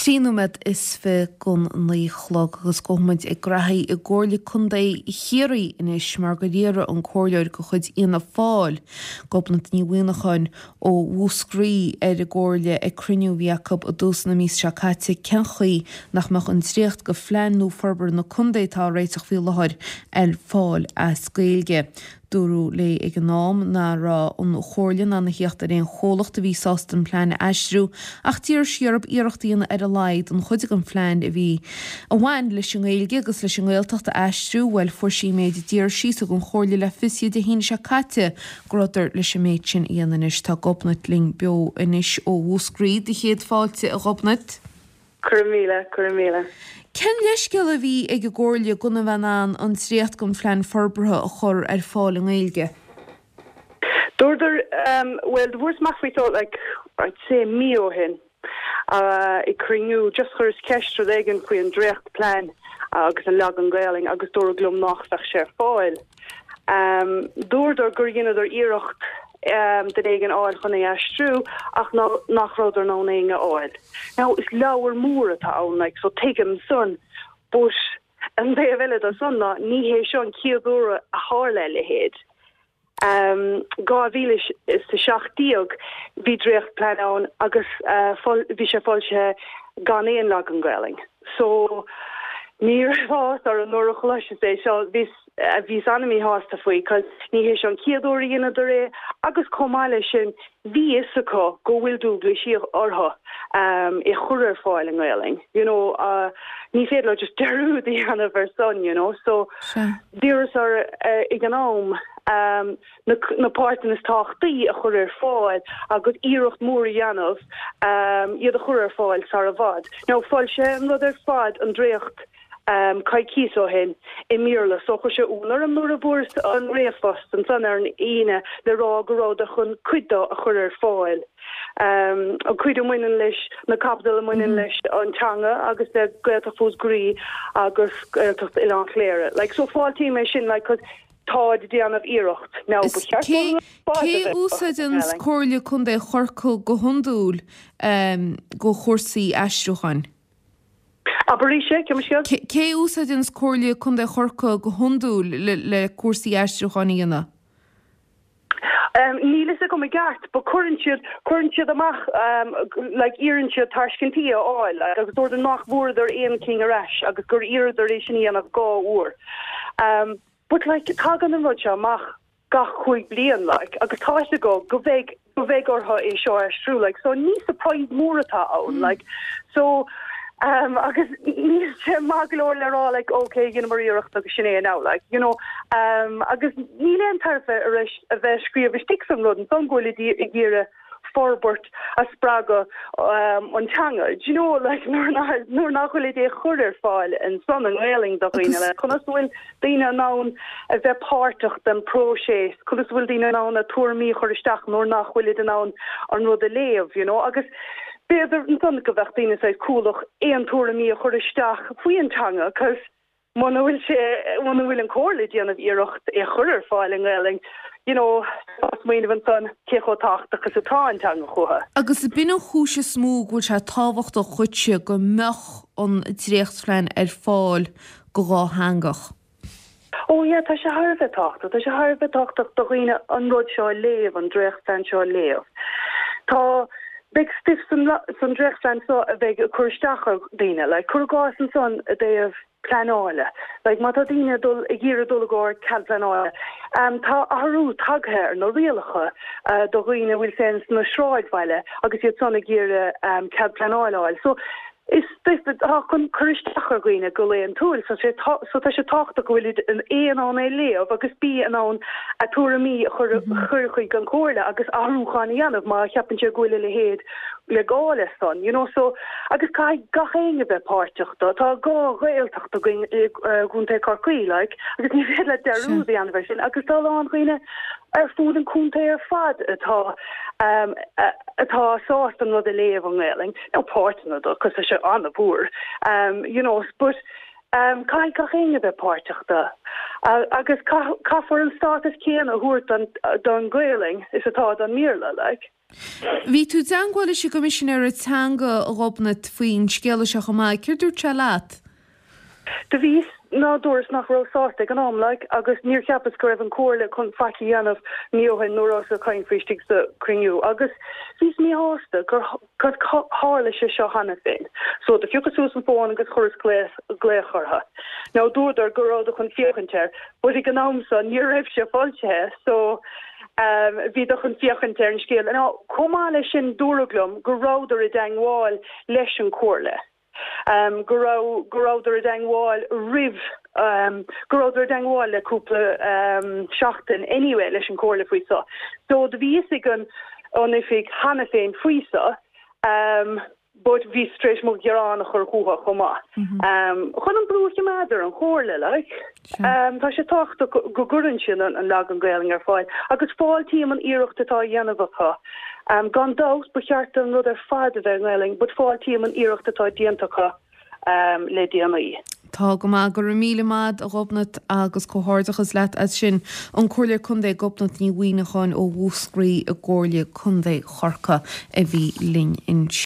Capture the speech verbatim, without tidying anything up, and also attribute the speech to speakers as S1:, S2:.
S1: Trí nóiméad is fiche don naoi chlog agus gabhfaimid ag graithí i gComhairle Contae Chiarraí anois mar gur iarradh an comhairleoir de chuid Fhianna Fáil, Gobnait Ní Mhuineacháin ó Mhúscraí ar an gcomhairle ag cruinniú a bhí acu i dtús na míosa seo caite cén chaoi nach mbeadh an dréacht de phlean nua forbartha na contae atá á réiteach faoi láthair ar fáil as Gaeilge. Dúradh léi ag an am nach raibh an chomhairle in ann a theacht ar aon chomhlacht a bhí sásta an plean a aistriú ach d'iarr sí orthu iarracht a dhéanamh ar a laghad an chuid den phlean a bhí a bhain leis an nGaeilge agus leis an nGaeltacht a aistriú bhuel fuair sí an méid a d'iarr sí thug an chomhairle le fios Dé hAoine seo caite go rabhadar leis an méid sin a dhéanamh anois tá Gobnait linn beo anois ó Mhúscraí do chéad fáilte a Ghobnait.
S2: Cur míle cur míle.
S1: Cén leithscéal a bhí ag an gcomhairle gan a bheith in ann an dréacht den phlean forbartha a chur ar fáil i nGaeilge?
S2: Dúradar um, well do fuaireas amach faoi so like I'd say mí ó shin uh, ag cruinniú just chuireas ceist rud éigin faoi an dréachtplean agus an leagan Gaeilge agus dúradh liom nach mbeadh sé ar fáil. Um, dúradar gur dheineadar iarracht um, duine éigin a fháil chun é aistriú ach nach rabhadar in ann éinne a fháil. Now is leabhar mór atá ann like, so tuigim san but an taobh eile de san ná ní hé seo an chéad uair a tharla a leithéid. Um, dhá mhíle is a seacht déag bhí dréachtplean ann agus uh, bhí sé foilsithe gan aon leagan Gaeilge. So ní raibh ar an nuair a chloiseas é seo bhí bhíos an-mhíshásta faoi, cos ní hé seo an chéad uair a dheineadar é agus chomh maith leis sin bhí fhios acu go bhfuil dualgas orthu um, é chur ar fáil i nGaeilge. You know, uh, ní féidir leo just dearúd a dhéanamh ar san, you know, so d'iarras ar uh, ag an am um, na, na páirteanna is tábhachtaí a chur ar fáil agus iarracht mór a dhéanamh um, iad a chur ar fáil sar i bhfad. Now foilsíodh an rud ar fad an dréacht um, coicís ó shin i mBéarla so chuir sé ionadh orm nuair a fuaireas an ríomhphost ansan ar an Aoine le rá go rabhadar chun cuid de a chur ar fáil. Um, an cuid a bhaineann leis na caibidil a bhaineann mm -hmm. leis an teanga agus le Gaeltacht Mhúscraí agus Gaeltacht Oileán Chléire. Like, so fáiltím é sin like, táid ag déanamh iarracht now
S1: Cé úsáideann Comhairle Contae Chorcaí go hiondúil um, do chúrsaí aistriúcháin?
S2: Abair sé
S1: scéal? Cé úsáideann Comhairle Contae Chorcaí go hiondúil le, le cúrsaí aistriúcháin a dhéanamh?
S2: Um, níl a fhios agam i gceart, but cuireann siad cuireann siad amach um, like iarrann siad tairiscintí a fháil like, agus dúradar nach bhfuaireadar aon cheann ar ais agus gur iarradar é sin a dhéanamh dhá uair. Um, but like tagann an rud seo amach gach cúig bliain like agus tá go go bheidh go bheidh orthu é seo aistriú like so ní surprise mór atá ann mm. like so um agus ní sé maith go leor le rá like okay dheineamar iarracht agus sin é now like you know um agus níl aon tairbhe arís a bheith scríobh istigh san rud an go bhfuil ag iarraidh forbairt a spreagadh um, an teanga. Do you know like nuair nuair nach bhfuil é chur ar fáil ansan i nGaeilge do dhaoine le conas bhfuil daoine in ann a bheith páirteach den próiseas, conas bhfuil daoine in ann a dtuairimí chur isteach nuair nach bhfuil in ann an rud a léamh, you know, agus b'fhéidir ansan go bheadh daoine sé cúlach aon tuairimí a chur isteach faoin teanga, cos muna bhfuil sé muna bhfuil an chomhairle ag déanamh iarracht é chur ar fáil i nGaeilge, you know, smaoineamh ansan cé chomh tábhachtach is atá an teanga chucu.
S1: Agus b'in an chúis is mó go bhfuil sé tábhachtach dhuitse go mbeadh an dréachtphlean ar fáil go dátheangach.
S2: Ó yeah, tá sé thar a bheith tábhachtach, tá sé thar a bheith tábhachtach do dhaoine an rud seo a léamh an dréachtphlean seo a léamh. Tá big stuff san san dréachtphlean seo a bheidh ag cur isteach ar daoine, like cuir i gcás ansan i dtaobh pleanála. Like má tá daoine dul ag iarraidh dul i gcomhair cead pleanála. Um, tá athrú tagtha ar na rialacha uh, do dhaoine bhfuil sen sna sráidbhaile agus iad san ag iarraidh um, cead pleanála. So is tá chun cur isteach ar dhaoine go laethúil so sé so tá sé tábhachtach go bhfuil an aon ann é léamh agus bí in ann a tuairimí a chur chur chuig an chomhairle agus athrúcháin a dhéanamh má cheapann sé go bhfuil a leithéid le gá leis san you know so agus caithfidh gach éinne bheith páirteach do tá dhá Ghaeltacht againn i gContae Chorcaí like agus ní féidir le dearúd a dhéanamh sin agus tá lán dhaoine ar fud an chontae ar fad atá um, atá sásta an rud a léamh i nGaeilge nó páirteanna de cos sé an-mhór um, you know but um, caithfidh gach éinne bheith páirteach de uh, agus caithfear an stádas céanna a thabhairt don don Ghaeilge is atá don mBéarla like.
S1: Bhí tú i dteangmháil leis an gCoimisinéir Teanga, a Ghobnait, faoin scéala seo chomh maith. Céard dúirt sé leat?
S2: Do bhíos, ná dúras nach raibh sásta ag an am, like, agus níor cheapas go raibh an Comhairle chun faic a dhéanamh mí ó shin nuair a ag caint faoi istigh sa cruinniú agus bhíos míshásta gur gur tharla sé seo cheana féin. So do phiocas suas an fón agus chuireas glaoch glaoch orthu. Now dúradar go rabhadar chun féachaint air, but ag an am so ní raibh sé foilsithe, so um, bhíodar chun féachaint ar an scéal. Now chomh maith leis sin dúradh liom go rabhadar i dteangmháil leis an Comhairle. Um, go raibh go rabhadar i dteangmháil roimh um, go rabhadar i dteangmháil le cúpla um, seachtain anyway leis an Comhairle faoi so. So do bhí fhios ag an an oifig cheana féin faoi so um, but bhí tar éis mo ghearán a chur chucu chomh maith. Mm -hmm. um, chun an brú a choimeád ar an Chomhairle like. Um, tá sé tábhachtach go gcuireann sin an, an leagan Gaeilge ar fáil, agus fáiltím an iarracht atá á dhéanamh acu. Um, gan dabht ba cheart an rud ar fad a bheith Gaeilge, but fáiltím an iarracht atá déanta acu um, le déanaí.
S1: Tá go maith go raibh míle maith a Ghobnait agus comhghairdeachas leat as sin an Comhairleoir Contae Gobnait Ní Mhuimhneacháin ó Mhúscraí i gComhairle Contae Chorcaí a bhí linn inniu.